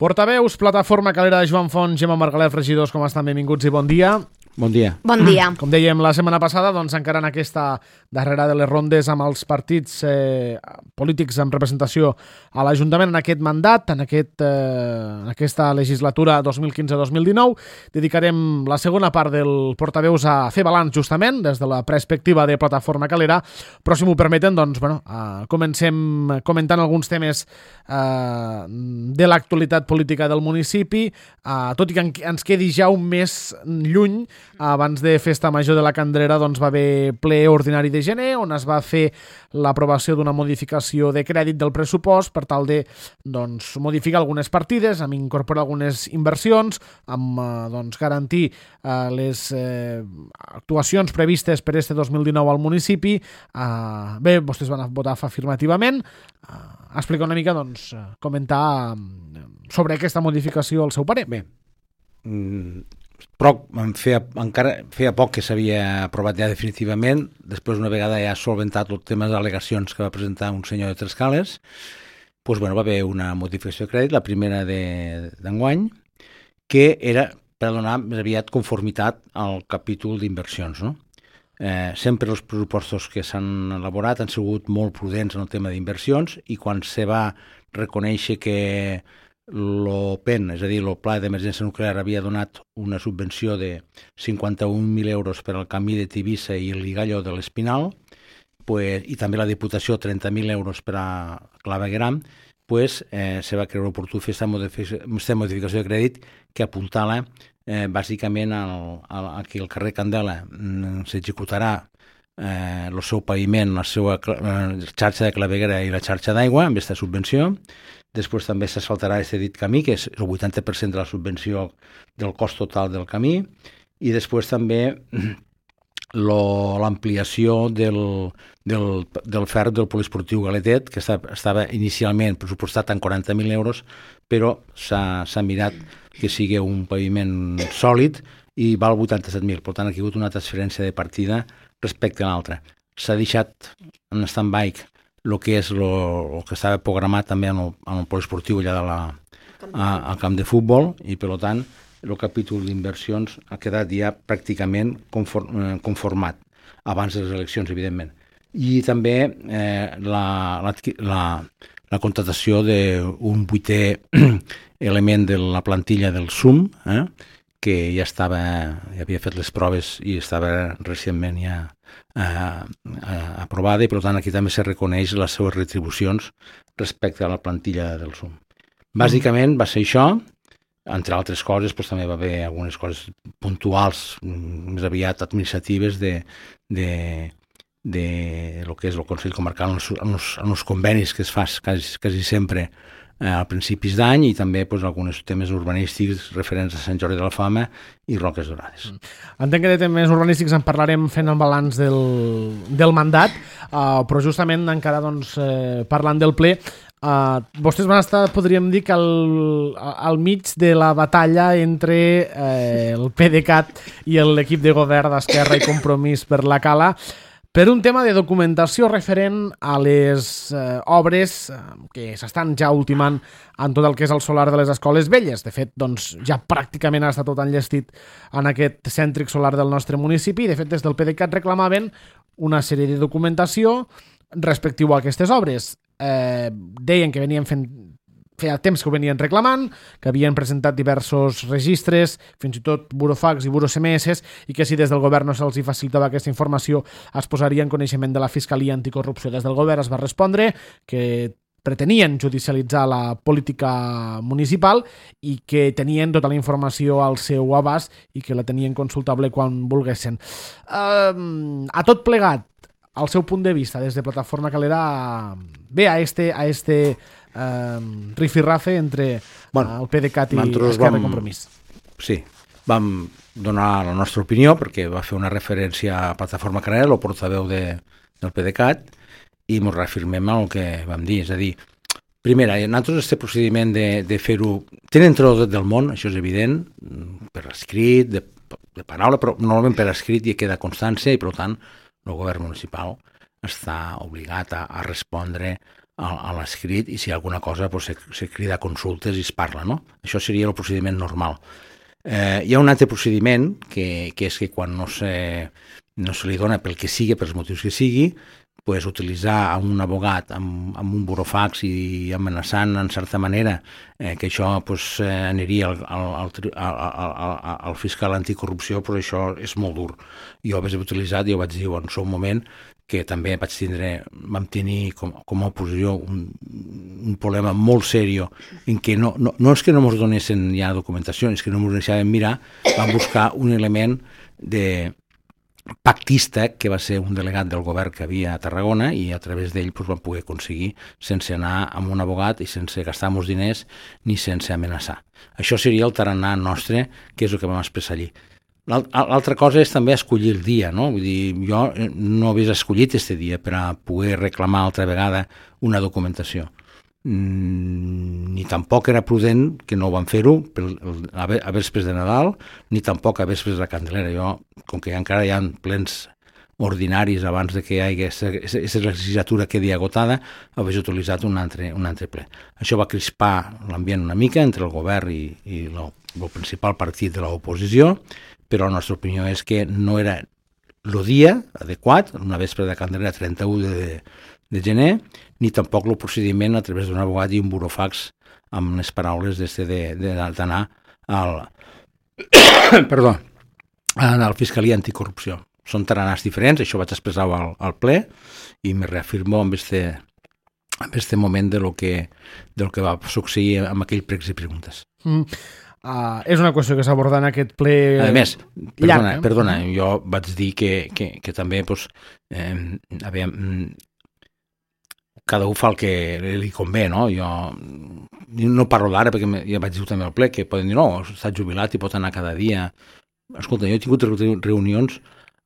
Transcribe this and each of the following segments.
Portaveus, plataforma Calera de Joan Font, Gemma Margalef, regidors, com estan? Benvinguts i bon dia. Bon dia. Bon dia. Com dèiem la setmana passada, doncs encara en aquesta darrera de les rondes amb els partits polítics amb representació a l'Ajuntament en aquest mandat, en aquesta legislatura 2015-2019, dedicarem la segona part del Portaveus a fer balanç justament des de la perspectiva de Plataforma Calera, però si m'ho permeten, doncs, comencem comentant alguns temes de l'actualitat política del municipi, tot i que ens quedi ja un mes lluny. Abans de Festa Major de la Candrera doncs, va haver ple ordinari de gener on es va fer l'aprovació d'una modificació de crèdit del pressupost per tal de modificar algunes partides, amb incorporar algunes inversions, amb garantir les actuacions previstes per este 2019 al municipi. Bé, vostès van votar afirmativament. Explicar una mica, comentar sobre aquesta modificació el seu parer. Bé, però feia poc que s'havia aprovat ja definitivament. Després, una vegada ja solventat el tema de al·legacions que va presentar un senyor de Trescales, doncs, va haver una modificació de crèdit, la primera d'enguany, que era per donar més aviat conformitat al capítol d'inversions, no? Sempre els pressupostos que s'han elaborat han sigut molt prudents en el tema d'inversions, i quan se va reconèixer que el PEN, és a dir, el Pla d'Emergència Nuclear, havia donat una subvenció de 51.000 euros per al camí de Tivissa i el Ligalló de l'Espinal, i també la Diputació 30.000 euros per a Clavegueram, se va creure oportú fer aquesta modificació de crèdit que apuntala bàsicament que el carrer Candela s'executarà el seu paviment, la seva xarxa de claveguera i la xarxa d'aigua amb aquesta subvenció. Després també s'asfaltarà aquest dit camí, que és el 80% de la subvenció del cost total del camí, i després també l'ampliació del ferro del poliesportiu Galetet, que estava inicialment pressupostat en 40.000 euros, però s'ha mirat que sigui un paviment sòlid i val 87.000. Per tant, aquí ha hagut una transferència de partida respecte a l'altra. S'ha deixat en stand-by el que és el que estava programat també en el poliesportiu allà al camp de futbol, i per tant el capítol d'inversions ha quedat ja pràcticament conformat abans de les eleccions, evidentment. I també la contratació d'un 8è element de la plantilla del SUM, que ja havia fet les proves i estava recentment ja aprovada, i per tant aquí també se reconeix les seves retribucions respecte a la plantilla del SUM. Bàsicament va ser això, entre altres coses també va haver algunes coses puntuals, més aviat administratives, de lo que és el Consell Comarcal en els convenis que es fa quasi sempre a principis d'any, i també alguns temes urbanístics referents a Sant Jordi de la Fama i Roques Dorades. Entenc que de temes urbanístics en parlarem fent el balanç del mandat, però justament encara parlant del ple, vostès van estar, podríem dir, que al mig de la batalla entre el PDeCAT i l'equip de govern d'Esquerra i Compromís per la Cala, per un tema de documentació referent a les obres que s'estan ja ultimant en tot el que és el solar de les escoles velles. De fet, ja pràcticament ha estat tot enllestit en aquest cèntric solar del nostre municipi. De fet, des del PDeCAT reclamaven una sèrie de documentació respectiu a aquestes obres. Deien que feia temps que ho venien reclamant, que havien presentat diversos registres, fins i tot burofax i buro-SMS, i que si des del govern no se'ls facilitava aquesta informació es posaria en coneixement de la Fiscalia Anticorrupció. Des del govern es va respondre que pretenien judicialitzar la política municipal i que tenien tota la informació al seu abast i que la tenien consultable quan volguessin. A tot plegat, al seu punt de vista, des de Plataforma Calera, ve a este rifirrafe entre el PDeCAT i Esquerra i Compromís. Sí, vam donar la nostra opinió perquè va fer una referència a Plataforma Calera, el portaveu del PDeCAT, i ens reafirmem el que vam dir. És a dir, primera, nosaltres aquest procediment de fer-ho tenen tot el dret del món, això és evident, per escrit, de paraula, però normalment per escrit ja queda constància, i per tant el govern municipal està obligat a respondre a l'escrit, i si hi ha alguna cosa se crida a consultes i es parla, no? Això seria el procediment normal. Hi ha un altre procediment que és que quan no se li dona pel que sigui, pels motius que sigui, pues, utilitzar un abogat amb un burofax i amenaçant en certa manera que això pues, aniria al fiscal anticorrupció, però això és molt dur. Jo ho vaig utilitzar, i ho vaig dir en el seu moment, que també vam tenir com a oposició un problema molt seriós en què no és que no ens donessin ja documentació, és que no ens deixaven mirar, vam buscar un element de pactista, que va ser un delegat del govern que havia a Tarragona, i a través d'ell vam poder aconseguir sense anar amb un abogat i sense gastar molts diners ni sense amenaçar. Això seria el tarannà nostre, que és el que vam expressar allí. L'altra cosa és també escollir el dia, no? Vull dir, jo no hagués escollit aquest dia per a poder reclamar altra vegada una documentació. Ni tampoc era prudent, que no ho van fer-ho a vespres de Nadal, ni tampoc a vespres de la Candelera. Jo, com que encara hi ha plens ordinaris abans de que hi hagi aquesta legislatura quedi agotada, hagués utilitzat un altre ple. Això va crispar l'ambient una mica entre el govern i el principal partit de l'oposició, però la nostra opinió és que no era el dia adequat, una vespre de Candelera 31 de gener, ni tampoc el procediment a través d'un abogat i un burofax amb les paraules d'anar a la Fiscalia Anticorrupció. Són tarannàs diferents, això vaig expressar al ple, i me reafirmo amb este moment del que va succeir amb aquell pregs i preguntes. És una qüestió que s'aborda en aquest ple. A més, perdona, jo vaig dir que també cada un fa el que li convé, no? Jo no parlo d'ara perquè ja vaig dir també al ple que poden dir, no, està jubilat i pot anar cada dia. Escolta, jo he tingut reunions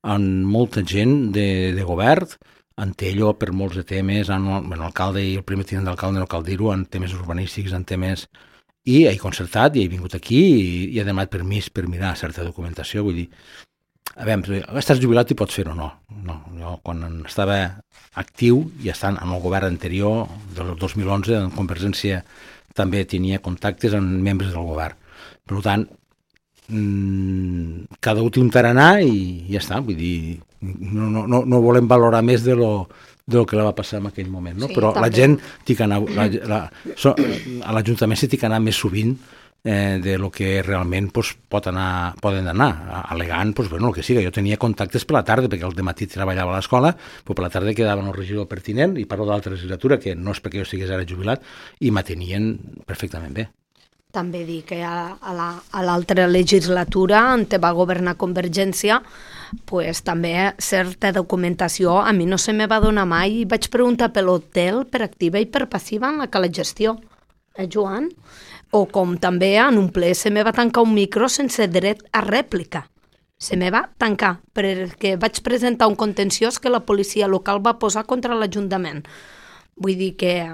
amb molta gent de govern, en Tello, per molts de temes, amb l'alcalde i el primer tinent d'alcalde, no cal dir-ho, en temes urbanístics, en temes... I he concertat, i he vingut aquí i he demanat permís per mirar certa documentació. Vull dir, a veure, estàs jubilat i pots fer-ho, no. Jo, quan estava actiu i estant en el govern anterior, del 2011, en Convergència, també tenia contactes amb membres del govern. Per tant, cada un té un tarannà i ja està. Vull dir, no volem valorar més del que va passar en aquell moment, no? Sí, però també. La gent té que anar, a l'Ajuntament s'hi té que anar més sovint de lo que realment poden anar, al·legant, el que sigui. Jo tenia contactes per la tarda, perquè al dematí treballava a l'escola, però per la tarda quedava en el regidor pertinent, i parlo de l'altra legislatura, que no és perquè jo estigués ara jubilat, i m'atenien perfectament bé. També dir que a l'altra legislatura, on va governar Convergència, pues, també certa documentació a mi no se me va donar mai, i vaig preguntar per l'hotel per activa i per passiva en la gestió, Joan? O com també en un ple se me va tancar un micro sense dret a rèplica. Se me va tancar perquè vaig presentar un contenciós que la policia local va posar contra l'Ajuntament. Vull dir que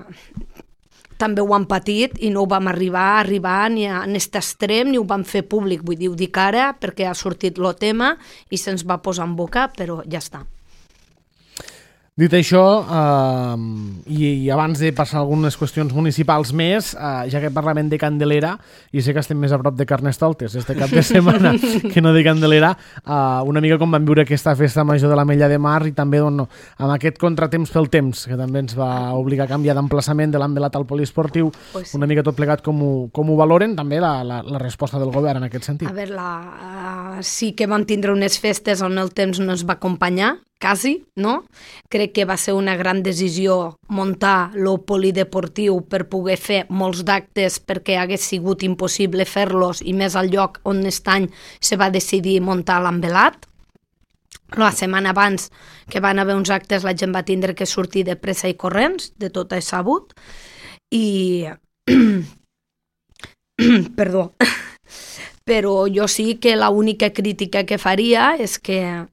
també ho han patit i no ho vam arribar ni a aquest extrem ni ho vam fer públic. Vull dir, ho dic ara perquè ha sortit el tema i se'ns va posar en boca, però ja està. Dit això, i abans de passar a algunes qüestions municipals més, ja que parlem de Candelera, i sé que estem més a prop de Carnestoltes este cap de setmana que no de Candelera, una mica com vam viure aquesta festa major de l'Ametlla de Mar, i també amb aquest contratemps pel temps, que també ens va obligar a canviar d'emplaçament de l'Ambelat al poliesportiu, una mica tot plegat com ho valoren, també la resposta del govern en aquest sentit. A veure, sí que vam tindre unes festes on el temps no ens va acompanyar, quasi, no? Crec que va ser una gran decisió muntar el polideportiu per poder fer molts d'actes, perquè hagués sigut impossible fer-los, i més al lloc on aquest any se va decidir muntar l'Ambelat. La setmana abans que van haver uns actes la gent va tindre que sortir de pressa i corrents, de tot és sabut, i... Perdó. Però jo sí que l'única crítica que faria és que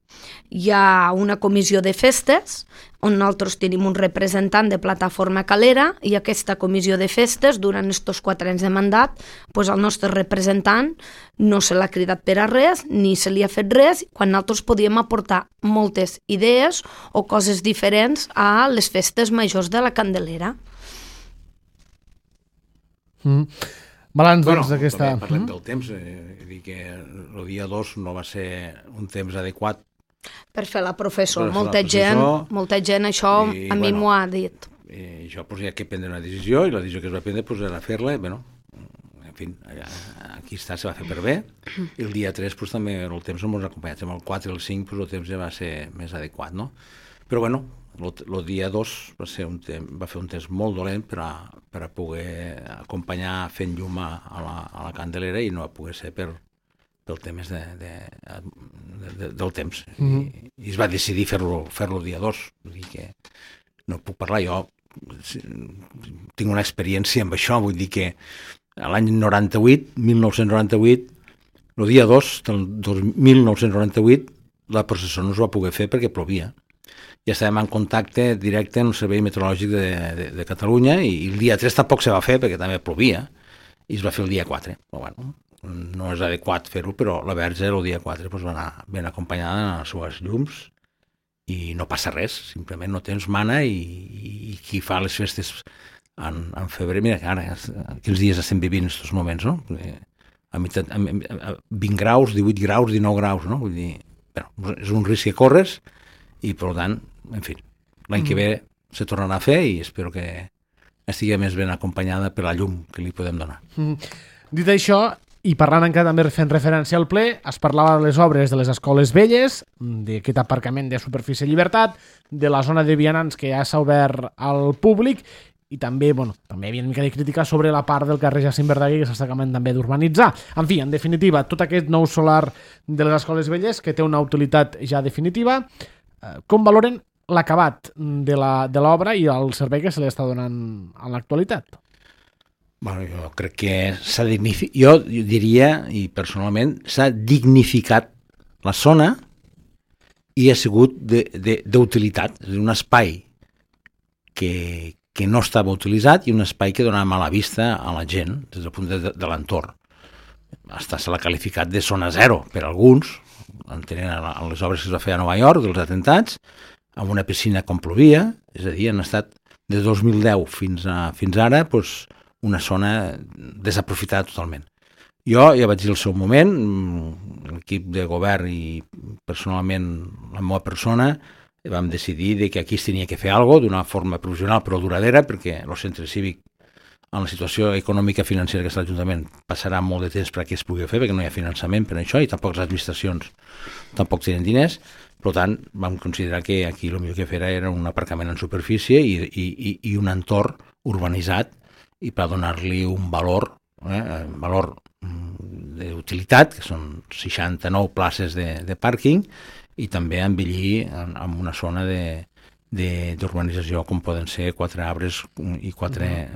hi ha una comissió de festes on nosaltres tenim un representant de Plataforma Calera, i aquesta comissió de festes, durant aquests 4 anys de mandat, el nostre representant no se l'ha cridat per a res, ni se li ha fet res, quan nosaltres podíem aportar moltes idees o coses diferents a les festes majors de la Candelera. Balanç, doncs, d'aquesta... Parlem del temps, dir que el dia 2 no va ser un temps adequat per fer la professor. Per fer Molta gent això a mi m'ho ha dit. I això hi ha que prendre una decisió, i la decisió que es va prendre era fer-la, en fi, aquí està, se va fer per bé, i el dia 3 també el temps no ens ha acompanyat, amb el 4 i el 5 el temps ja va ser més adequat, no? Però el dia 2 va fer un temps molt dolent per a poder acompanyar fent llum a la Candelera, i no va poder ser pel temps del temps. I es va decidir fer-lo el dia 2. Vull dir que no puc parlar, jo tinc una experiència amb això, vull dir que l'any 1998, el dia 2 del 1998, la processó no es va poder fer perquè plovia. Ja estàvem en contacte directe amb el Servei Meteorològic de Catalunya, i el dia 3 tampoc se va fer perquè també plovia, i es va fer el dia 4. Però bueno, no és adequat fer-ho, però la Verge el dia 4 va anar ben acompanyada en les seues llums, i no passa res, simplement no tens mana, i qui fa les festes en febrer, mira que ara, quins dies estem vivint en aquests moments, no? A 20 graus, 18 graus, 19 graus, no? Vull dir, és un risc que corres, i per tant, en fi, l'any que ve se tornarà a fer, i espero que estigui més ben acompanyada per la llum que li podem donar. Dit això, i parlant encara també fent referència al ple, es parlava de les obres de les escoles velles, d'aquest aparcament de superfície Llibertat, de la zona de vianants que ja s'ha obert al públic, i també, també hi havia una mica de crítica sobre la part del carrer Jacint Verdaguer que s'està acabant també d'urbanitzar. En fi, en definitiva, tot aquest nou solar de les escoles velles que té una utilitat ja definitiva. Com valoren l'acabat de l'obra i el servei que se li està donant en l'actualitat? Jo crec que s'ha dignificat, jo diria, i personalment, s'ha dignificat la zona, i ha sigut d'utilitat, és un espai que no estava utilitzat, i un espai que donava mala vista a la gent des del punt de l'entorn. Se l'ha qualificat de zona zero per alguns, entenent a les obres que es va fer a Nova York, dels atentats, amb una piscina com plovia, és a dir, han estat de 2010 fins ara, una zona desaprofitada totalment. Jo ja vaig dir al seu moment, l'equip de govern i personalment la meva persona, vam decidir que aquí es tenia que fer alguna cosa d'una forma provisional però duradera, perquè el centre cívic, en la situació econòmica i financera que està l'Ajuntament, passarà molt de temps perquè es pugui fer, perquè no hi ha finançament per això, i tampoc les administracions tampoc tenen diners. Per tant, vam considerar que aquí el millor que fer era un aparcament en superfície i un entorn urbanitzat, i per donar-li un valor d'utilitat, que són 69 places de pàrquing, i també embellir amb una zona d'urbanització com poden ser 4 arbres i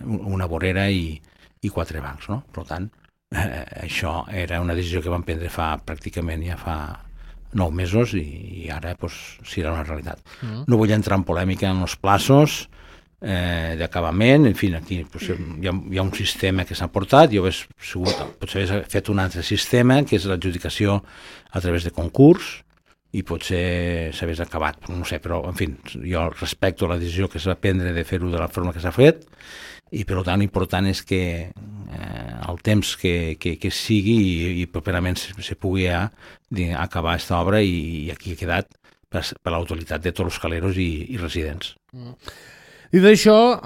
una vorera i 4 bancs, no? Per tant, això era una decisió que vam prendre pràcticament ja fa 9 mesos, i ara serà una realitat. No vull entrar en polèmica en els plaços d'acabament, en fi, aquí hi ha un sistema que s'ha portat, jo potser hagués fet un altre sistema, que és l'adjudicació a través de concurs, i potser s'hagués acabat, no sé, però, en fi, jo respecto la decisió que s'ha de prendre de fer-ho de la forma que s'ha fet, i per tant l'important és que el temps que sigui i properament se pugui acabar aquesta obra, i aquí ha quedat per la utilitat de tots els caleros i residents. Dit això,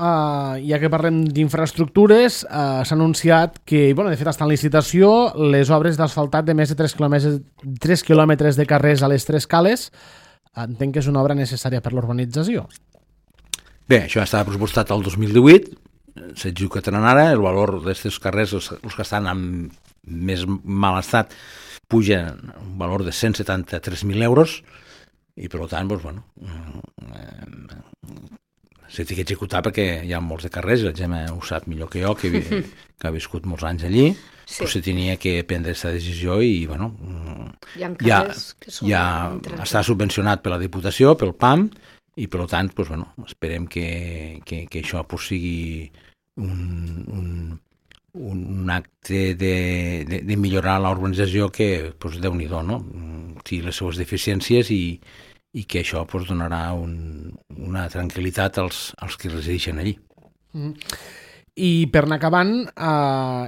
ja que parlem d'infraestructures, s'ha anunciat que, de fet, està en licitació les obres d'asfaltat de més de 3 quilòmetres de carrers a les 3 cales. Entenc que és una obra necessària per l'urbanització. Bé, això estava pressupostat el 2018, s'executaran ara, el valor d'aquests carrers, els que estan en més mal estat, pugen un valor de 173.000 euros, i per tant, s'ha d'executar perquè hi ha molts de carrers, la Gemma ho sap millor que jo, que ha viscut molts anys allí, però se tenia que prendre aquesta decisió, i ja està subvencionat per la Diputació, pel PAM, i per tant, esperem que això sigui un acte de millorar l'urbanització que, Déu-n'hi-do, no? Té les seues deficiències, i que això donarà una tranquil·litat als que resideixen allí. I per anar acabant,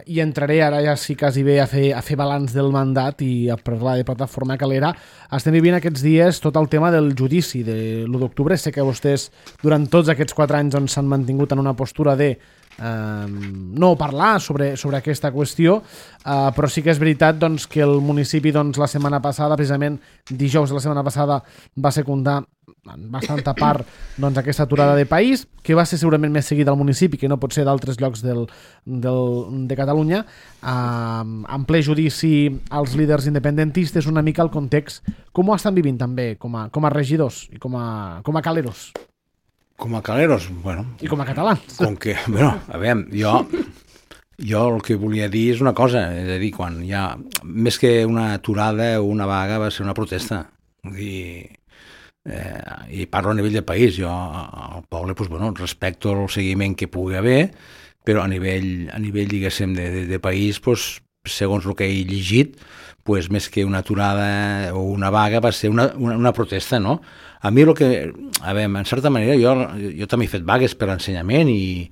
hi entraré ara ja sí quasi bé a fer balanç del mandat i a parlar de Plataforma Calera. Estem vivint aquests dies tot el tema del judici de l'1 d'octubre. Sé que vostès durant tots aquests 4 anys s'han mantingut en una postura de no parlar sobre aquesta qüestió, però sí que és veritat doncs, que el municipi la setmana passada, precisament dijous de la setmana passada, va secundar en bastanta part aquesta aturada de país, que va ser segurament més seguida al municipi, que no pot ser d'altres llocs de Catalunya, en ple judici als líders independentistes, una mica el context, com ho estan vivint també com a regidors i com a caleros. Com a caleros, bueno... I com a catalans. Com que, bueno, a veure, jo el que volia dir és una cosa, és a dir, quan hi ha, més que una aturada o una vaga, va ser una protesta. Vull dir, i parlo a nivell de país, jo al poble, doncs, bueno, respecto el seguiment que pugui haver, però a nivell diguéssim, de país, doncs, segons el que he llegit, pues, més que una aturada o una vaga va ser una protesta, no? A mi el que... A veure, en certa manera, jo també he fet vagues per ensenyament i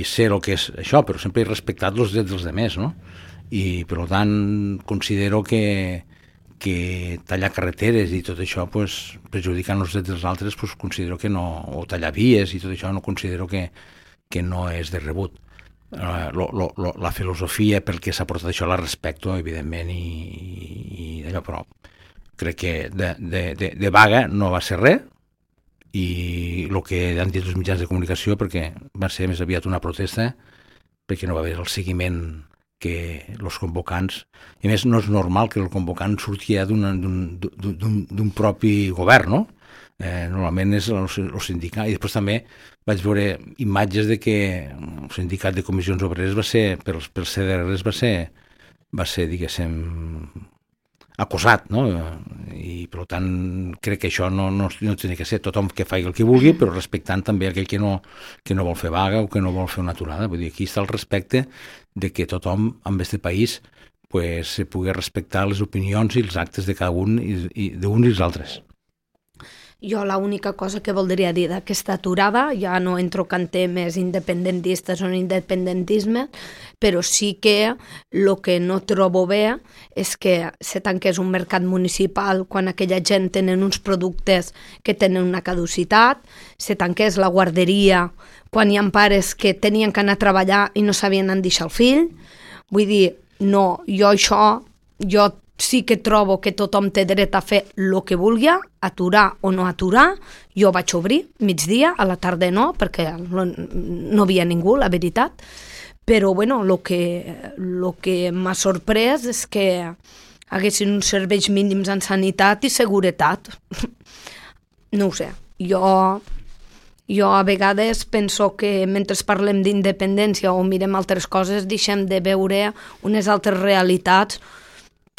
sé el que és això, però sempre he respectat els drets dels altres, no? I, per tant, considero que tallar carreteres i tot això, pues, perjudicant els drets dels altres, pues, considero que no... O tallar vies i tot això, no considero que no és de rebut. La filosofia per què s'ha portat això la respecto, evidentment, i d'allò, però crec que de vaga no va ser res, i el que han dit els mitjans de comunicació, perquè va ser més aviat una protesta, perquè no va haver el seguiment que els convocants, i a més no és normal que el convocant surti ja d'un propi govern, no? Normalment és el sindicat, i després també vaig veure imatges de que el sindicat de comissions obreres va ser, pels CDRs va ser, diguéssim, acusat, no? I per tant crec que això no tenia que ser tothom que faci el que vulgui, però respectant també aquell que no vol fer vaga o que no vol fer una aturada. Vull dir, aquí està el respecte de que tothom en aquest país pues, se pugui respectar les opinions i els actes de cada un i d'uns i els altres. Jo l'única cosa que voldria dir d'aquesta aturada, ja no entro en temes independentistes o independentisme, però sí que el que no trobo bé és que se tanqués un mercat municipal quan aquella gent tenen uns productes que tenen una caducitat, se tanqués la guarderia quan hi ha pares que tenien que anar a treballar i no sabien on deixar el fill. Vull dir, no, jo sí que trobo que tothom té dret a fer el que vulgui, aturar o no aturar. Jo vaig obrir migdia, a la tarda no, perquè no havia ningú, la veritat. Però bueno, el que m'ha sorprès és que haguessin uns serveis mínims en sanitat i seguretat. No ho sé, jo a vegades penso que mentre parlem d'independència o mirem altres coses, deixem de veure unes altres realitats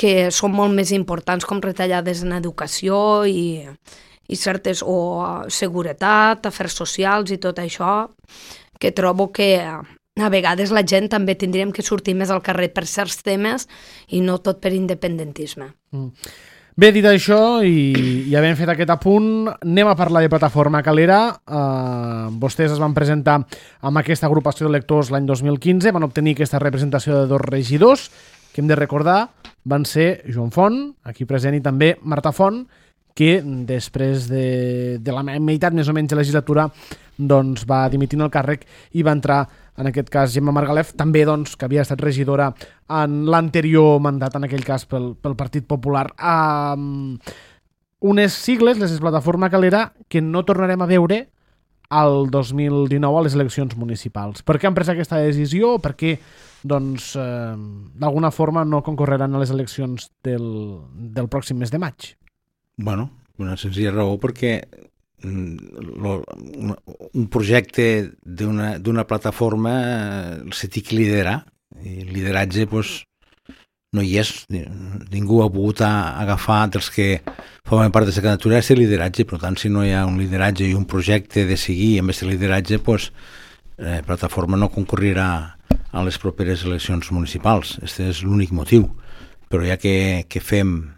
que són molt més importants, com retallades en educació i certes, o seguretat, afers socials i tot això, que trobo que a vegades la gent també tindríem que sortir més al carrer per certs temes i no tot per independentisme. Bé, dit això, i havent fet aquest apunt, anem a parlar de Plataforma Calera. Vostès es van presentar amb aquesta agrupació d'electors l'any 2015, van obtenir aquesta representació de 2 regidors, que hem de recordar van ser Joan Font, aquí present, i també Marta Font, que després de la meitat més o menys de legislatura doncs, va dimitir el càrrec i va entrar, en aquest cas, Gemma Margalef, també doncs, que havia estat regidora en l'anterior mandat, en aquell cas pel Partit Popular. Unes sigles, les de Plataforma Calera, que no tornarem a veure al 2019 a les eleccions municipals. Per què han pres aquesta decisió? Per què doncs, d'alguna forma no concorreran a les eleccions del pròxim mes de maig? Bueno, una senzilla raó perquè un projecte d'una plataforma se té que liderar, i el lideratge doncs, no hi és, ningú ha pogut agafar dels que formen part d'aquesta candidatura aquest lideratge. Per tant, si no hi ha un lideratge i un projecte de seguir amb aquest lideratge, doncs, la plataforma no concorrirà a les properes eleccions municipals. Aquest és l'únic motiu. Però ja que fem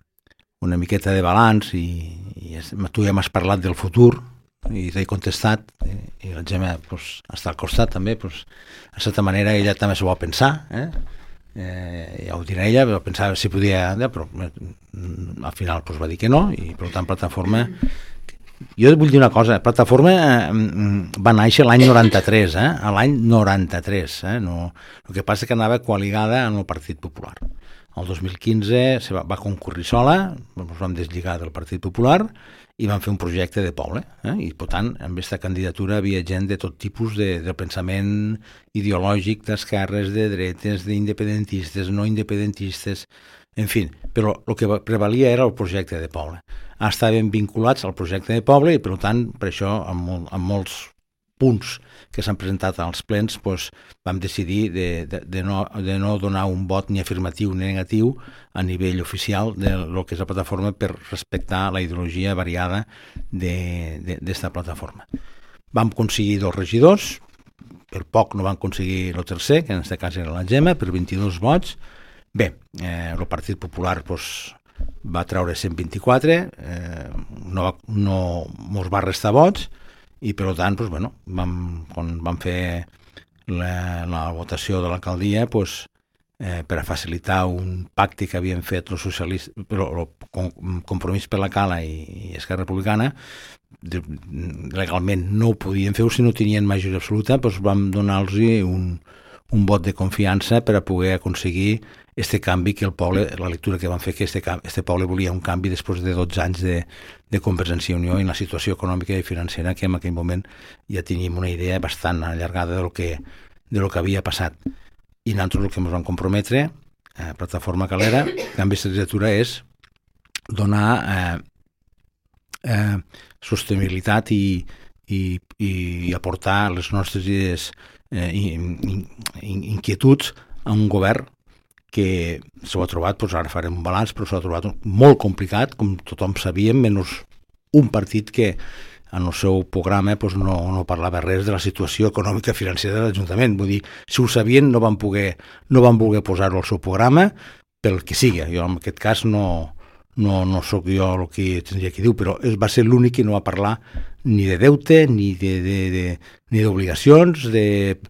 una miqueta de balanç i tu ja m'has parlat del futur, i t'he contestat, i la Gemma pues, està al costat també, pues, de certa manera ella també s'ho va pensar, ja ho dirà ella, però pensava si podia, però al final pues, va dir que no, i per tant Plataforma... Jo vull dir una cosa, Plataforma va néixer l'any 93, l'any 93, no, el que passa que anava coaligada amb el Partit Popular. El 2015 va concurrir sola, ens vam deslligar del Partit Popular i vam fer un projecte de poble, i per tant en aquesta candidatura havia gent de tot tipus de pensament ideològic, d'esquerres, de dretes, d'independentistes, no independentistes, en fi, però el que prevalia era el projecte de poble. Estaven vinculats al projecte de poble i per tant per això amb molts punts que s'han presentat als plens doncs, vam decidir de no donar un vot ni afirmatiu ni negatiu a nivell oficial del que és la plataforma per respectar la ideologia variada d'esta plataforma. Vam aconseguir 2 regidors, per poc no vam aconseguir el tercer, que en aquest cas era la Gemma, per 22 vots. Bé, el Partit Popular doncs, va treure 124, no mos va restar vots, i per tant, doncs, bueno, quan vam fer la votació de l'alcaldia doncs, per a facilitar un pacte que havien fet els socialistes, però el Compromís per la Cala i Esquerra Republicana, legalment no ho podien fer si no tenien majoria absoluta, doncs vam donar-los un vot de confiança per a poder aconseguir este canvi que el poble, la lectura que van fer que este poble volia un canvi després de 12 anys de Convergència i Unió i la situació econòmica i financera que en aquell moment ja teníem una idea bastant allargada de lo que havia passat. I nosaltres el que ens vam comprometre a Plataforma Calera en aquesta legislatura és donar sostenibilitat i aportar les nostres idees inquietuds a un govern que s'ho ha trobat, doncs ara farem un balanç, però s'ho ha trobat molt complicat, com tothom sabíem, menys un partit que en el seu programa doncs no parlava res de la situació econòmica i financera de l'Ajuntament. Vull dir, si ho sabien no van voler posar-ho al seu programa pel que sigui. Jo en aquest cas no sóc jo el que tindria que dir, però va ser l'únic que no va parlar ni de deute, ni d'obligacions, de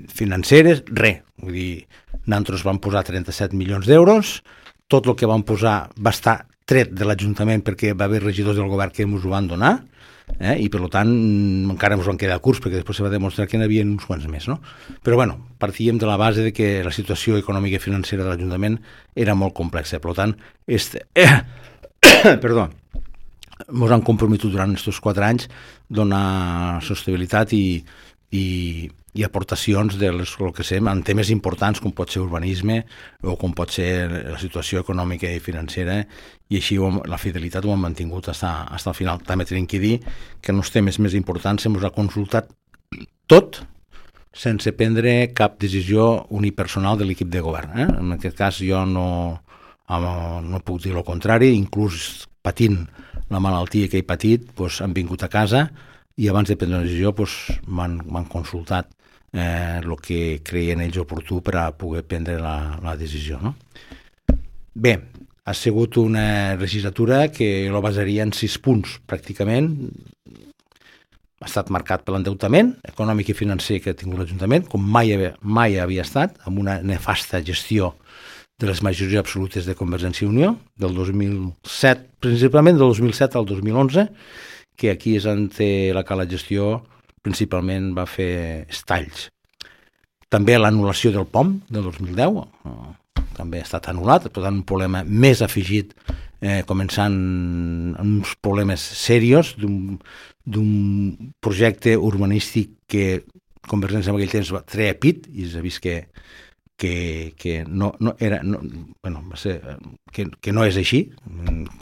financeres, res. Vull dir, nosaltres vam posar 37 milions d'euros, tot el que vam posar va estar tret de l'Ajuntament perquè va haver regidors del govern que ens ho van donar, i per tant encara ens van quedar curts perquè després se va demostrar que n'hi havia uns quants més, no? Però bueno, partíem de la base de que la situació econòmica i financera de l'Ajuntament era molt complexa, per tant ens han comprometut durant aquests 4 anys donar sostenibilitat i aportacions del que sé, en temes importants com pot ser urbanisme o com pot ser la situació econòmica i financera, i així la fidelitat ho hem mantingut fins al final. També tenim que dir que en els temes més importants se'ns ha consultat tot sense prendre cap decisió unipersonal de l'equip de govern. En aquest cas jo no puc dir el contrari, inclús patint la malaltia que he patit, doncs han vingut a casa i abans de prendre una decisió m'han consultat el que creien ells oportú per a poder prendre la decisió. No? Bé, ha sigut una legislatura que la basaria en 6 punts pràcticament. Ha estat marcat per l'endeutament econòmic i financer que ha tingut l'Ajuntament, com mai havia estat, amb una nefasta gestió de les majories absolutes de Convergència i Unió, del 2007, principalment del 2007 al 2011, que aquí és on la que la gestió principalment va fer estalls. També l'anul·lació del POM del 2010 també ha estat anul·lat, per tant un problema més afegit, començant amb uns problemes serios d'un projecte urbanístic que Convergència en aquell temps va treure pit i s'ha vist que no és així,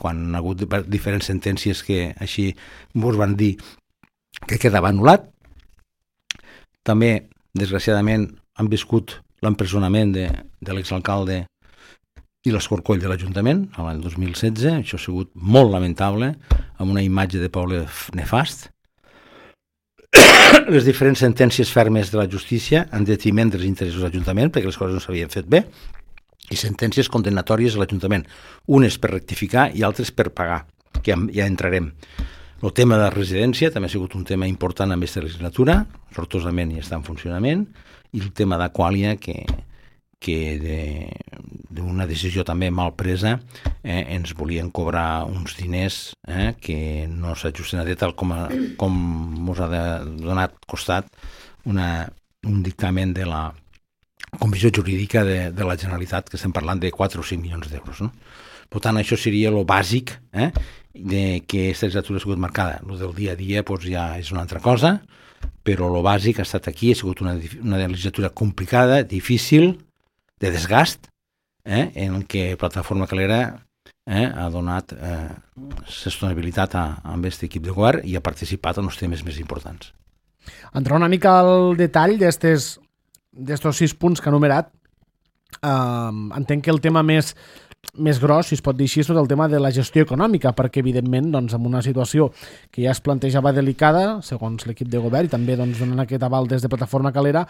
quan ha hagut diferents sentències que així ens van dir que quedava anul·lat. També, desgraciadament, han viscut l'empresonament de l'exalcalde i l'escorcoll de l'Ajuntament l'any 2016. Això ha sigut molt lamentable, amb una imatge de poble nefast. Les diferents sentències fermes de la justícia en detriment dels interessos de l'Ajuntament, perquè les coses no s'havien fet bé, i sentències condenatòries a l'Ajuntament, unes per rectificar i altres per pagar, que ja entrarem. El tema de residència també ha sigut un tema important en aquesta legislatura, sortosament ja està en funcionament, i el tema d'Aquàlia, que d'una decisió també mal presa ens volien cobrar uns diners que no s'ajusten a tal com ens ha donat costat un dictamen de la Comissió Jurídica de la Generalitat, que estem parlant de 4 o 5 milions d'euros, no? Per tant, això seria el bàsic de que aquesta legislatura ha sigut marcada. El del dia a dia ja és una altra cosa, però el bàsic ha estat aquí, ha sigut una legislatura complicada, difícil, de desgast, en què Plataforma Calera ha donat sostenibilitat amb aquest equip de govern i ha participat en els temes més importants. Entrar una mica al detall d'estos 6 punts que ha enumerat, entenc que el tema més gros, si es pot dir així, és tot el tema de la gestió econòmica, perquè evidentment doncs, en una situació que ja es plantejava delicada, segons l'equip de govern, i també doncs, donant aquest aval des de Plataforma Calera,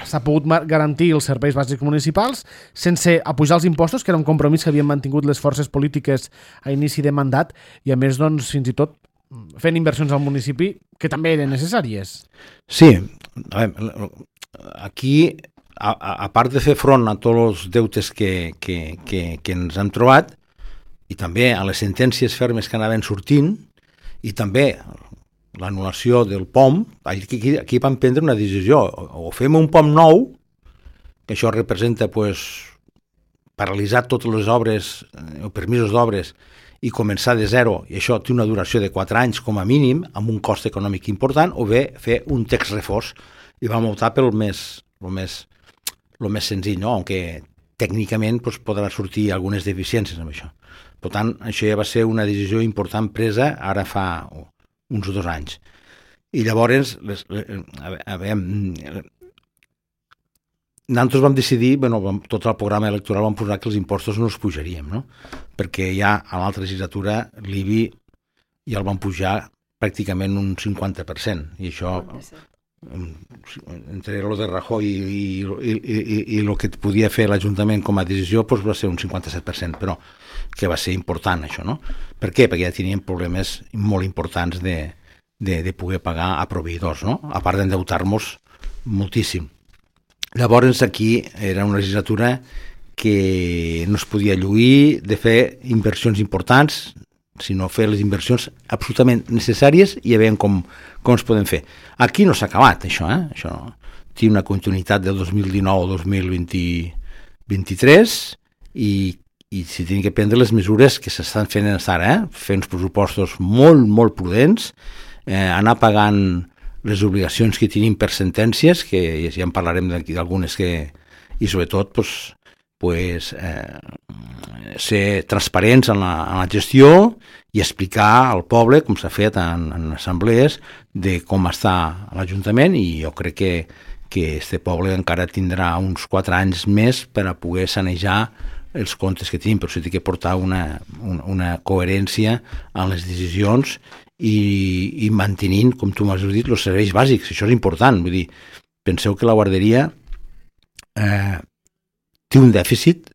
s'ha pogut garantir els serveis bàsics municipals sense apujar els impostos, que era un compromís que havien mantingut les forces polítiques a inici de mandat, i a més doncs, fins i tot fent inversions al municipi que també eren necessàries. Sí, a veure, aquí, a part de fer front a tots els deutes que ens hem trobat, i també a les sentències fermes que anaven sortint, i també l'anul·lació del POM, aquí vam prendre una decisió, o fem un POM nou, que això representa paralitzar totes les obres, o permisos d'obres, i començar de zero, i això té una duració de 4 anys com a mínim, amb un cost econòmic important, o bé fer un text reforç, i vam optar pel més senzill, no? Aunque tècnicament podrà sortir algunes deficiències amb això. Per tant, això ja va ser una decisió important presa ara fa uns 2 anys. I llavors, nosaltres vam decidir, tot el programa electoral vam posar que els impostos no els pujaríem, no? Perquè ja a l'altra legislatura l'IBI ja el van pujar pràcticament un 50%, i això entre lo de Rajoy i el que podia fer l'Ajuntament com a decisió va ser un 57%, però que va ser important això, no? Per què? Perquè ja teníem problemes molt importants de poder pagar a proveïdors, no? A part d'endeutar-nos moltíssim. Llavors aquí era una legislatura que no es podia lluir de fer inversions importants, sinó fer les inversions absolutament necessàries i a veure com es poden fer. Aquí no s'ha acabat, això. Això té una continuïtat del 2019 al 2023 i s'hi tenen que prendre les mesures que s'estan fent ara, fer uns pressupostos molt, molt prudents, anar pagant les obligacions que tenim per sentències, que ja en parlarem d'algunes, i sobretot ser transparents en la gestió i explicar al poble, com s'ha fet en assemblees, de com està l'Ajuntament, i jo crec que este poble encara tindrà uns 4 anys més per a poder sanejar els comptes que tenim, però s'ha de portar una coherència en les decisions i mantenint, com tu m'has dit, els serveis bàsics. Això és important. Vull dir, penseu que la guarderia té un dèficit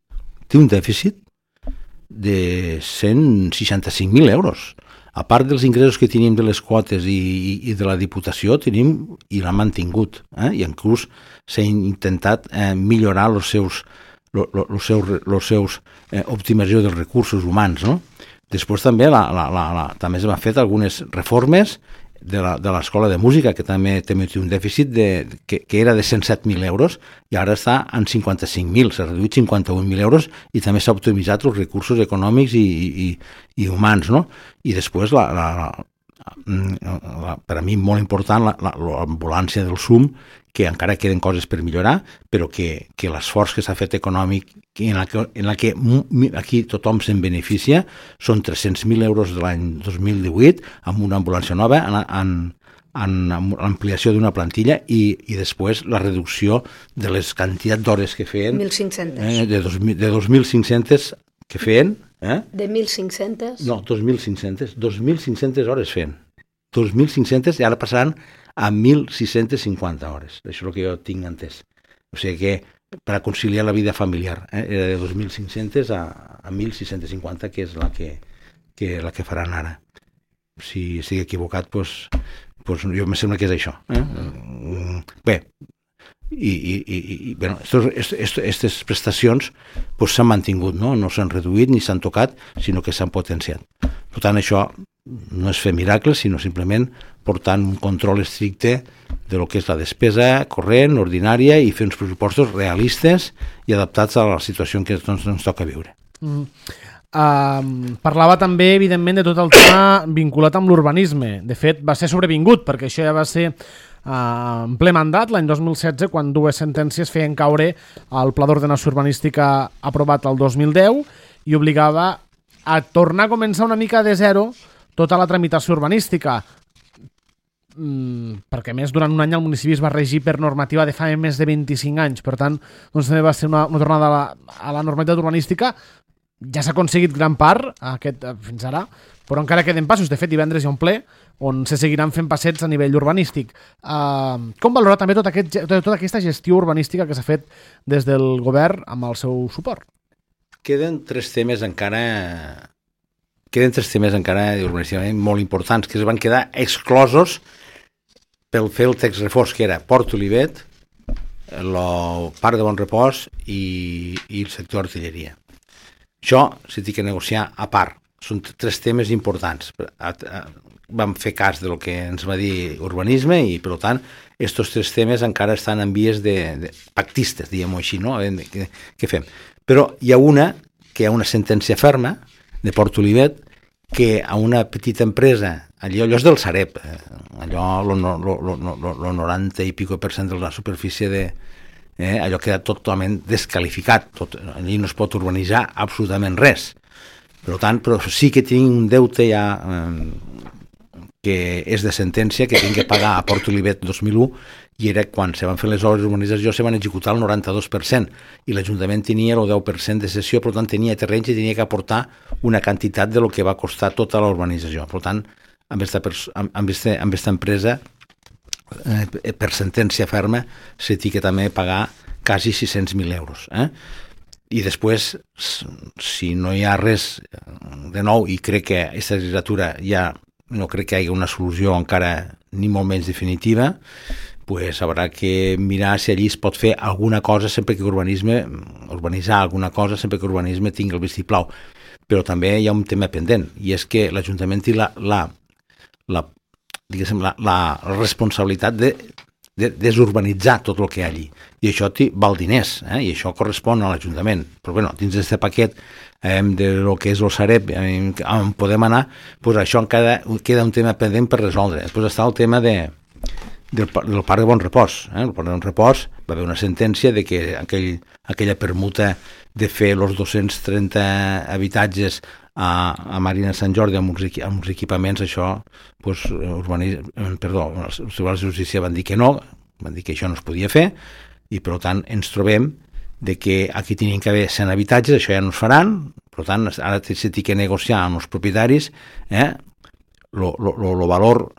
de 165.000 euros. A part dels ingressos que tenim de les quotes i de la Diputació, tenim i l'han mantingut, i inclús s'ha intentat millorar els seus optimització dels recursos humans, no? Després també també s'han fet algunes reformes de l'escola de música, que també té un dèficit que era de 107.000 euros i ara està en 55.000, s'ha reduït 51.000 euros, i també s'ha optimitzat els recursos econòmics i humans, no? I després, per a mi molt important, l'ambulància del SUM, que encara queden coses per millorar, però que l'esforç que s'ha fet econòmic, en la que aquí tothom se'n beneficia, són 300.000 euros de l'any 2018, amb una ambulància nova, en l'ampliació d'una plantilla, i després la reducció de les quantitats d'hores que feien. 1.500. De 2.500 que feien. De 1.500? No, 2.500. 2.500 hores feien. 2.500 i ara passaran a 1.650 hores. Això és el que jo tinc entès. O sigui que per a conciliar la vida familiar era de 2.500 a 1.650, que és la que faran ara. si estic equivocat, doncs jo me sembla que és això. Bé, i bueno, aquestes prestacions s'han mantingut, no s'han reduït ni s'han tocat, sinó que s'han potenciat. Per tant, això no és fer miracles, sinó simplement portant un control estricte de lo que és la despesa corrent, ordinària, i fer uns pressupostos realistes i adaptats a la situació en què ens toca viure. Parlava també, evidentment, de tot el tema vinculat amb l'urbanisme. De fet, va ser sobrevingut, perquè això ja va ser en ple mandat, l'any 2016, quan dues sentències feien caure el Pla d'Ordenació Urbanística aprovat el 2010 i obligava a tornar a començar una mica de zero tota la tramitació urbanística, perquè més durant un any el municipi es va regir per normativa de fa més de 25 anys, per tant doncs també va ser una tornada a la normalitat urbanística. Ja s'ha aconseguit gran part fins ara, però encara queden passos. De fet, divendres hi ha un ple on se seguiran fent passets a nivell urbanístic. Com valorar també tota aquesta gestió urbanística que s'ha fet des del govern amb el seu suport? Queden tres temes encara urbanísticament molt importants que es van quedar exclosos pel fer el text reforç, que era Port Olivet, el Parc de Bon Repòs i el sector artilleria. Això s'ha de negociar a part. Són tres temes importants. Vam fer cas del que ens va dir urbanisme i, per tant, aquests tres temes encara estan en vies de pactistes, diguem-ho així, no? Què fem? Però hi ha una sentència ferma de Port Olivet que a una petita empresa, allò és del Sareb, allò, el 90 i pico % de la superfície allò queda totalment desqualificat, allí no es pot urbanitzar absolutament res. Per tant, però sí que tinc un deute ja que és de sentència, que tinc que pagar a Port Olivet 2001, i era quan se van fer les obres d'urbanització se van executar el 92%, i l'Ajuntament tenia el 10% de cessió, per tant tenia terrenys i tenia que aportar una quantitat de lo que va costar tota la urbanització. Per tant, amb aquesta empresa, per sentència ferma, se té que també pagar quasi 600.000 euros. I després, si no hi ha res de nou, i crec que aquesta legislatura ja no crec que hi hagi una solució encara ni molt menys definitiva, pues haurà que mirar si allí es pot fer alguna cosa sempre que urbanitzar alguna cosa sempre que urbanisme tingui el vistiplau. Però també hi ha un tema pendent, i és que l'Ajuntament té la responsabilitat de desurbanitzar tot el que hi ha allí, i això val diners, i això correspon a l'Ajuntament. Però bueno, dins d'aquest paquet de lo que és el Sareb, on podem anar, pues això encara queda un tema pendent per resoldre. Després està el tema del Parc de Bon Repòs. El Parc de Bon Repòs va haver una sentència de que aquella permuta de fer els 230 habitatges a Marina de Sant Jordi amb uns equipaments, això, els tribunals de justícia van dir que no, van dir que això no es podia fer, i per tant ens trobem de que aquí tenien que haver 100 habitatges, això ja no es faran, per tant ara s'ha de negociar amb els propietaris el valor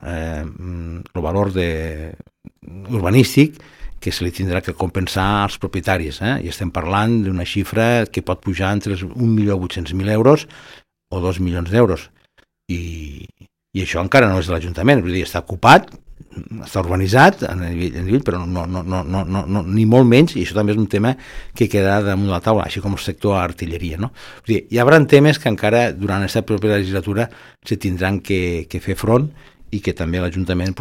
urbanístic que se li tindrà que compensar als propietaris, i estem parlant d'una xifra que pot pujar entre 1.800.000 euros o 2 milions d'euros, i això encara no és de l'Ajuntament, vull dir, està ocupat, està urbanitzat a nivell, però no, ni molt menys, i això també és un tema que quedarà damunt la taula, així com el sector artilleria, no? Vull dir, hi haurà temes que encara durant aquesta propera legislatura se tindran que fer front, i que també l'Ajuntament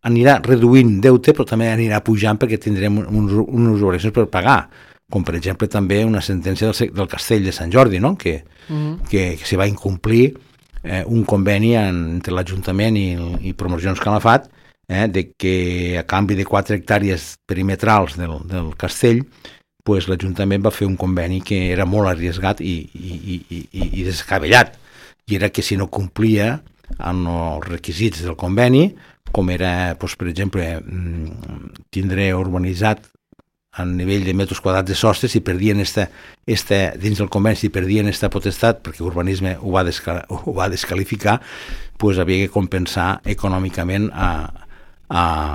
anirà reduint deute, però també anirà pujant perquè tindrem unes obligacions per pagar, com per exemple també una sentència del Castell de Sant Jordi, no? que se va incomplir un conveni entre l'Ajuntament i Promocions Calafat, de que a canvi de 4 hectàrees perimetrals del castell, pues, l'Ajuntament va fer un conveni que era molt arriesgat i descabellat, i era que si no complia amb els requisits del conveni, com era, pues, per exemple, tindre urbanitzat a nivell de metres quadrats de sostre, si perdien dins del conveni, si perdien aquesta potestat, perquè urbanisme ho va descalificar, pues havia que compensar econòmicament a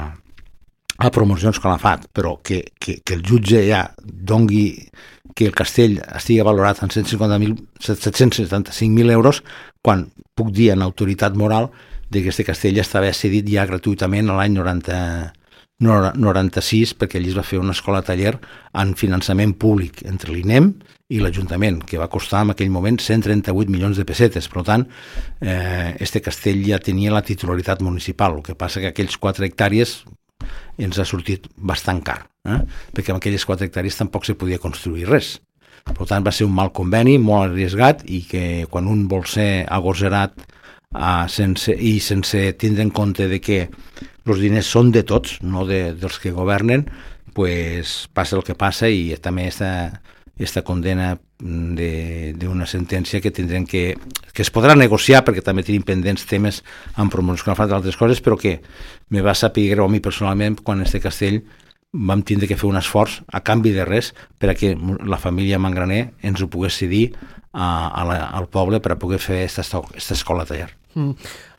a promocions que l'ha fet, però que el jutge ja dongui que el castell estigui valorat en 775.000 euros, quan puc dir en autoritat moral que aquest castell estava cedit ja gratuïtament a l'any 96, perquè allí es va fer una escola-taller en finançament públic entre l'INEM i l'Ajuntament, que va costar en aquell moment 138 milions de pessetes. Per tant, este castell ja tenia la titularitat municipal, el que passa que aquells 4 hectàrees ens ha sortit bastant car, perquè amb aquelles 4 hectàrees tampoc se podia construir res. Per tant, va ser un mal conveni, molt arriesgat, i que quan un vol ser agosarat sense tindre en compte de que els diners són de tots, no dels que governen, pues passa el que passa, i també esta condena d'una sentència que tindrem que es podrà negociar, perquè també tenim pendents temes amb promocions que han fet d'altres coses, però que me va saber greu a mi personalment quan este castell vam tindre que fer un esforç a canvi de res per a que la família Mangraner ens ho pogués cedir al poble per a poder fer esta escola taller.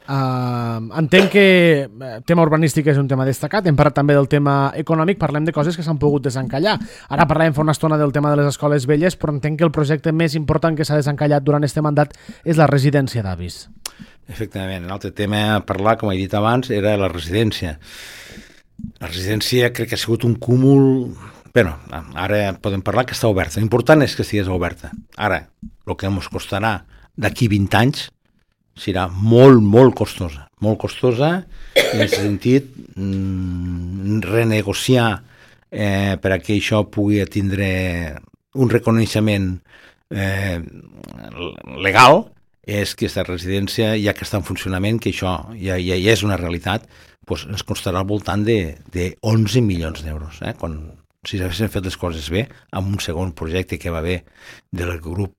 Entenc que el tema urbanístic és un tema destacat, hem parlat també del tema econòmic, parlem de coses que s'han pogut desencallar. Ara parlàvem fa una estona del tema de les escoles velles, però entenc que el projecte més important que s'ha desencallat durant aquest mandat és la residència d'avis. Efectivament, l'altre tema a parlar, com he dit abans, era la residència. La residència crec que ha sigut un cúmul... Bé, ara podem parlar que està oberta. L'important és que estigués oberta. Ara, el que ens costarà d'aquí 20 anys serà molt, molt costosa. Molt costosa, en aquest sentit, renegociar per a que això pugui tindre un reconeixement legal, és que aquesta residència, ja que està en funcionament, que això ja és una realitat, doncs ens costarà al voltant de 11 milions d'euros. Si s'haguessin fet les coses bé, amb un segon projecte que va haver del grup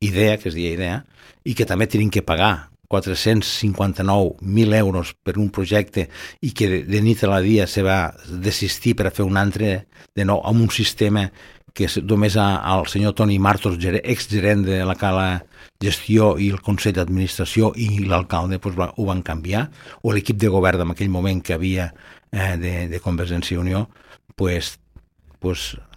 IDEA, que es deia IDEA, i que també tenim que pagar 459.000 euros per un projecte i que de nit a la dia se va desistir per a fer un altre de nou amb un sistema que només el senyor Toni Martos, exgerent de la Cala Gestió i el Consell d'Administració i l'alcalde ho van canviar, o l'equip de govern en aquell moment que havia de Convergència i Unió,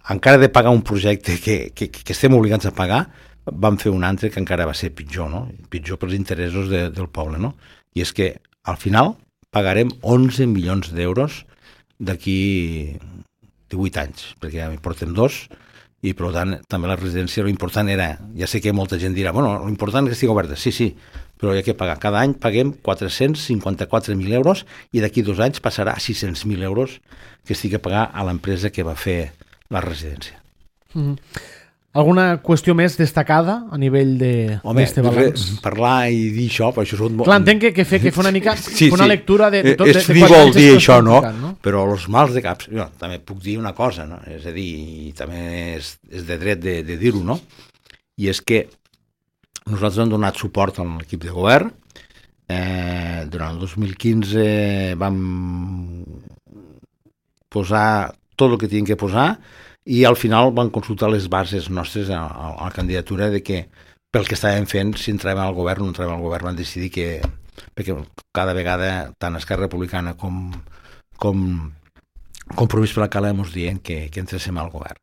encara de pagar un projecte que estem obligats a pagar, van fer un altre que encara va ser pitjor, no? Pitjor pels interessos del poble, no? I és que al final pagarem 11 milions d'euros d'aquí 18 anys, perquè ja m'hi portem 2, i per tant també la residència l'important era, ja sé que molta gent dirà, bueno, l'important és que estigui oberta, sí, però hi ha que pagar. Cada any paguem 454.000 euros i d'aquí 2 anys passarà a 600.000 euros que estigui a pagar a l'empresa que va fer la residència. Alguna qüestió més destacada a nivell d'este balanç? Parlar i dir això, però això és molt... Clar, entenc que fer una mica una lectura de tot... És frívol dir això, no? Però els mals de caps... Jo també puc dir una cosa, no? És a dir, i també és de dret de dir-ho, no? I és que nosaltres hem donat suport a l'equip de govern. Durant el 2015 vam posar tot el que teníem que posar i al final van consultar les bases nostres a la candidatura de que pel que estàvem fent, si entràvem al govern o no entràvem al govern, van decidir que, perquè cada vegada tant Esquerra Republicana com Compromís per la Cala ens diuen que entréssim al govern.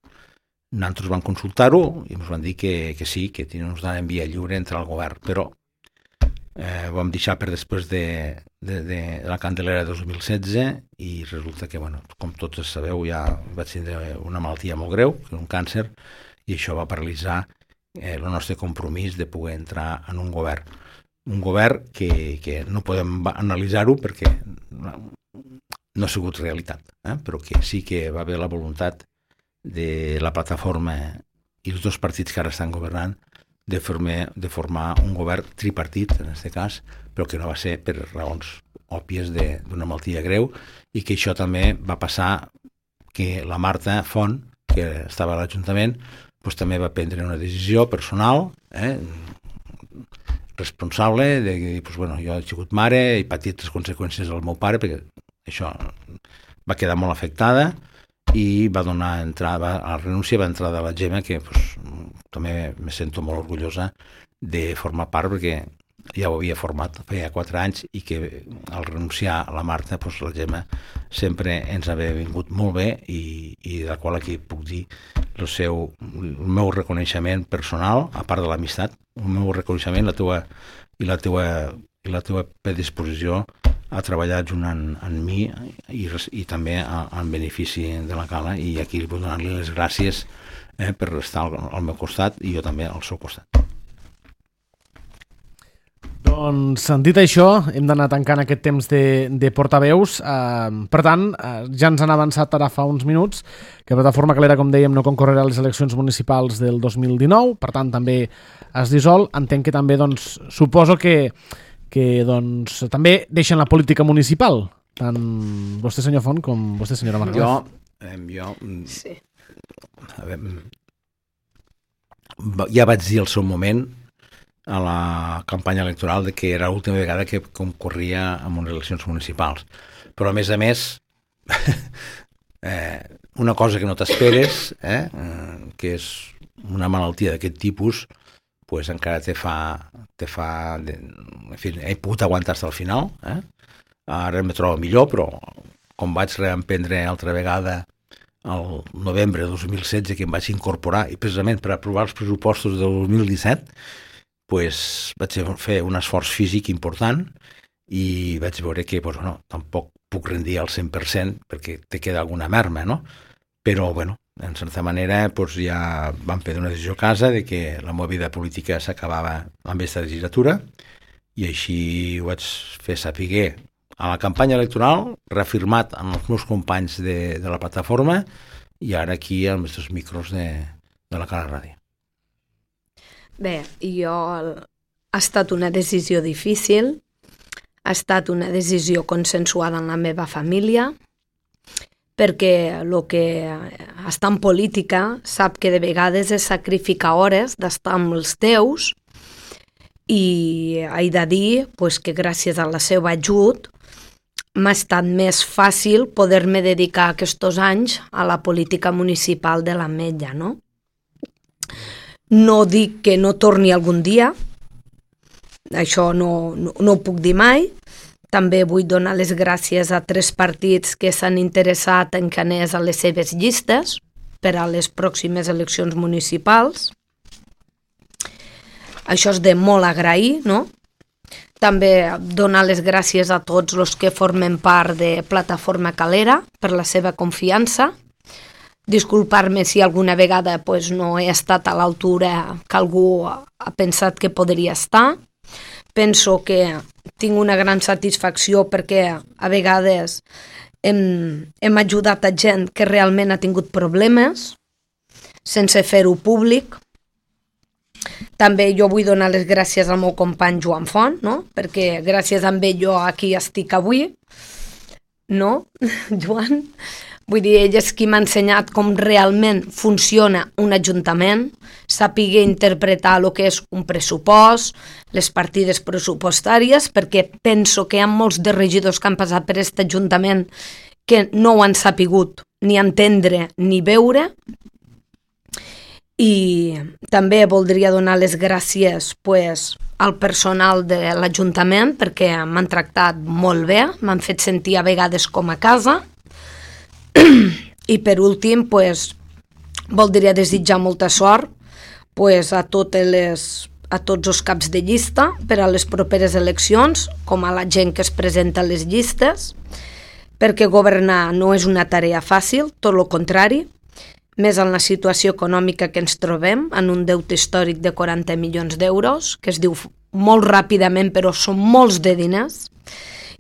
Nosaltres vam consultar-ho i ens van dir que sí, que ens donaven via lliure entrar al govern, però ho vam deixar per després de la Candelera 2016 i resulta que, bueno, com tots sabeu, ja vaig tindre una malaltia molt greu, que és un càncer, i això va paralitzar el nostre compromís de poder entrar en un govern. Un govern que no podem analitzar-ho perquè no ha sigut realitat, però que sí que va haver la voluntat de la plataforma i els 2 partits que ara estan governant de formar un govern tripartit, en aquest cas, però que no va ser per raons òbvies d'una malaltia greu i que això també va passar que la Marta Font, que estava a l'Ajuntament, doncs també va prendre una decisió personal, responsable, de dir, bueno, jo he sigut mare, he patit les conseqüències del meu pare, perquè això va quedar molt afectada, i va donar entrada a la renúncia, va entrar de la Gemma, que també me sento molt orgullosa de formar part, perquè ja ho havia format feia 4 anys i que al renunciar a la Marta, doncs la Gemma sempre ens havia vingut molt bé i del qual aquí puc dir el meu reconeixement personal, a part de l'amistat, el meu reconeixement la teva predisposició a treballar junt amb mi i també en benefici de la Cala, i aquí vull donar-li les gràcies per estar al meu costat i jo també al seu costat. Doncs, dit això, hem d'anar tancant aquest temps de portaveus. Per tant, ja ens han avançat ara fa uns minuts que Plataforma Calera, com dèiem, no concorrerà a les eleccions municipals del 2019, per tant també es dissol. Entenc que també, doncs, suposo que doncs, també deixen la política municipal, tant vostè, senyor Font, com vostè, senyora Margalef. Jo Sí. Ja vaig dir al seu moment a la campanya electoral que era l'última vegada que concorria en unes eleccions municipals. Però, a més, una cosa que no t'esperes, que és una malaltia d'aquest tipus, pues encara te fa... En fi, he pogut aguantar fins al final. Ara em trobo millor, però com vaig reemprendre altra vegada el novembre de 2016, que em vaig incorporar, i precisament per aprovar els pressupostos del 2017, pues, vaig fer un esforç físic important i vaig veure que tampoc puc rendir al 100% perquè te queda alguna merma, no? Però, en certa manera, ja vam prendre una decisió a casa de que la meva vida política s'acabava amb aquesta legislatura i així ho vaig fer saber a la campanya electoral, reafirmat amb els meus companys de la plataforma i ara aquí als nostres micros de la Cala Ràdio. Bé, ha estat una decisió difícil, ha estat una decisió consensuada en la meva família, perquè el que està en política sap que de vegades és sacrificar hores d'estar amb els teus, i he de dir que gràcies a la seva ajut m'ha estat més fàcil poder-me dedicar aquests anys a la política municipal de l'Ametlla, no? No dic que no torni algun dia, això no ho puc dir mai. També vull donar les gràcies a 3 partits que s'han interessat en que anés a les seves llistes per a les pròximes eleccions municipals. Això és de molt agrair, no? També donar les gràcies a tots els que formen part de Plataforma Calera per la seva confiança. Disculpar-me si alguna vegada no he estat a l'altura que algú ha pensat que podria estar. Penso que tinc una gran satisfacció perquè a vegades hem ajudat a gent que realment ha tingut problemes sense fer-ho públic. També jo vull donar les gràcies al meu company Joan Font, no? Perquè gràcies a ell jo aquí estic avui, no, Joan? Vull dir, ell és qui m'ha ensenyat com realment funciona un ajuntament, sàpiga interpretar el que és un pressupost, les partides pressupostàries, perquè penso que hi ha molts de regidors que han passat per aquest ajuntament que no ho han sapigut ni entendre ni veure. I també voldria donar les gràcies al personal de l'Ajuntament perquè m'han tractat molt bé, m'han fet sentir a vegades com a casa. I per últim, voldria desitjar molta sort a tots els caps de llista per a les properes eleccions, com a la gent que es presenta a les llistes, perquè governar no és una tarea fàcil, tot el contrari, més en la situació econòmica que ens trobem, en un deute històric de 40 milions d'euros, que es diu molt ràpidament, però són molts de diners,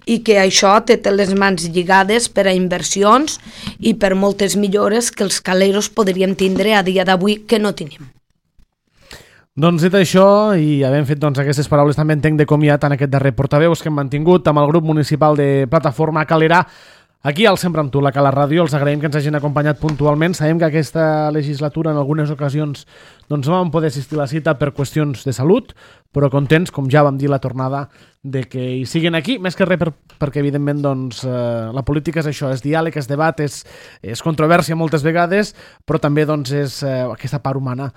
i que això té les mans lligades per a inversions i per moltes millores que els caleros podríem tindre a dia d'avui que no tenim. Doncs dit això, i havent fet aquestes paraules, també entenc de comiat en aquest darrer portaveus que hem mantingut amb el grup municipal de Plataforma Calera. Aquí al Sempre amb tu, la Cala Ràdio, els agraïm que ens hagin acompanyat puntualment. Sabem que aquesta legislatura en algunes ocasions no vam poder assistir a la cita per qüestions de salut, però contents, com ja vam dir la tornada, de que hi siguin aquí, més que res perquè evidentment doncs, la política és això, és diàleg, és debat, és controvèrsia moltes vegades, però també doncs, és aquesta part humana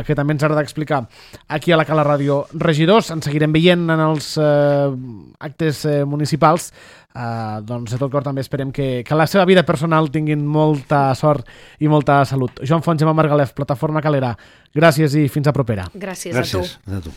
que també ens agrada explicar aquí a la Cala Ràdio. Regidors, ens seguirem veient en els actes municipals, doncs de tot cor també esperem que la seva vida personal tinguin molta sort i molta salut. Joan Font, Gemma Margalef, Plataforma Calera, gràcies i fins a propera. Gràcies a tu. A tu.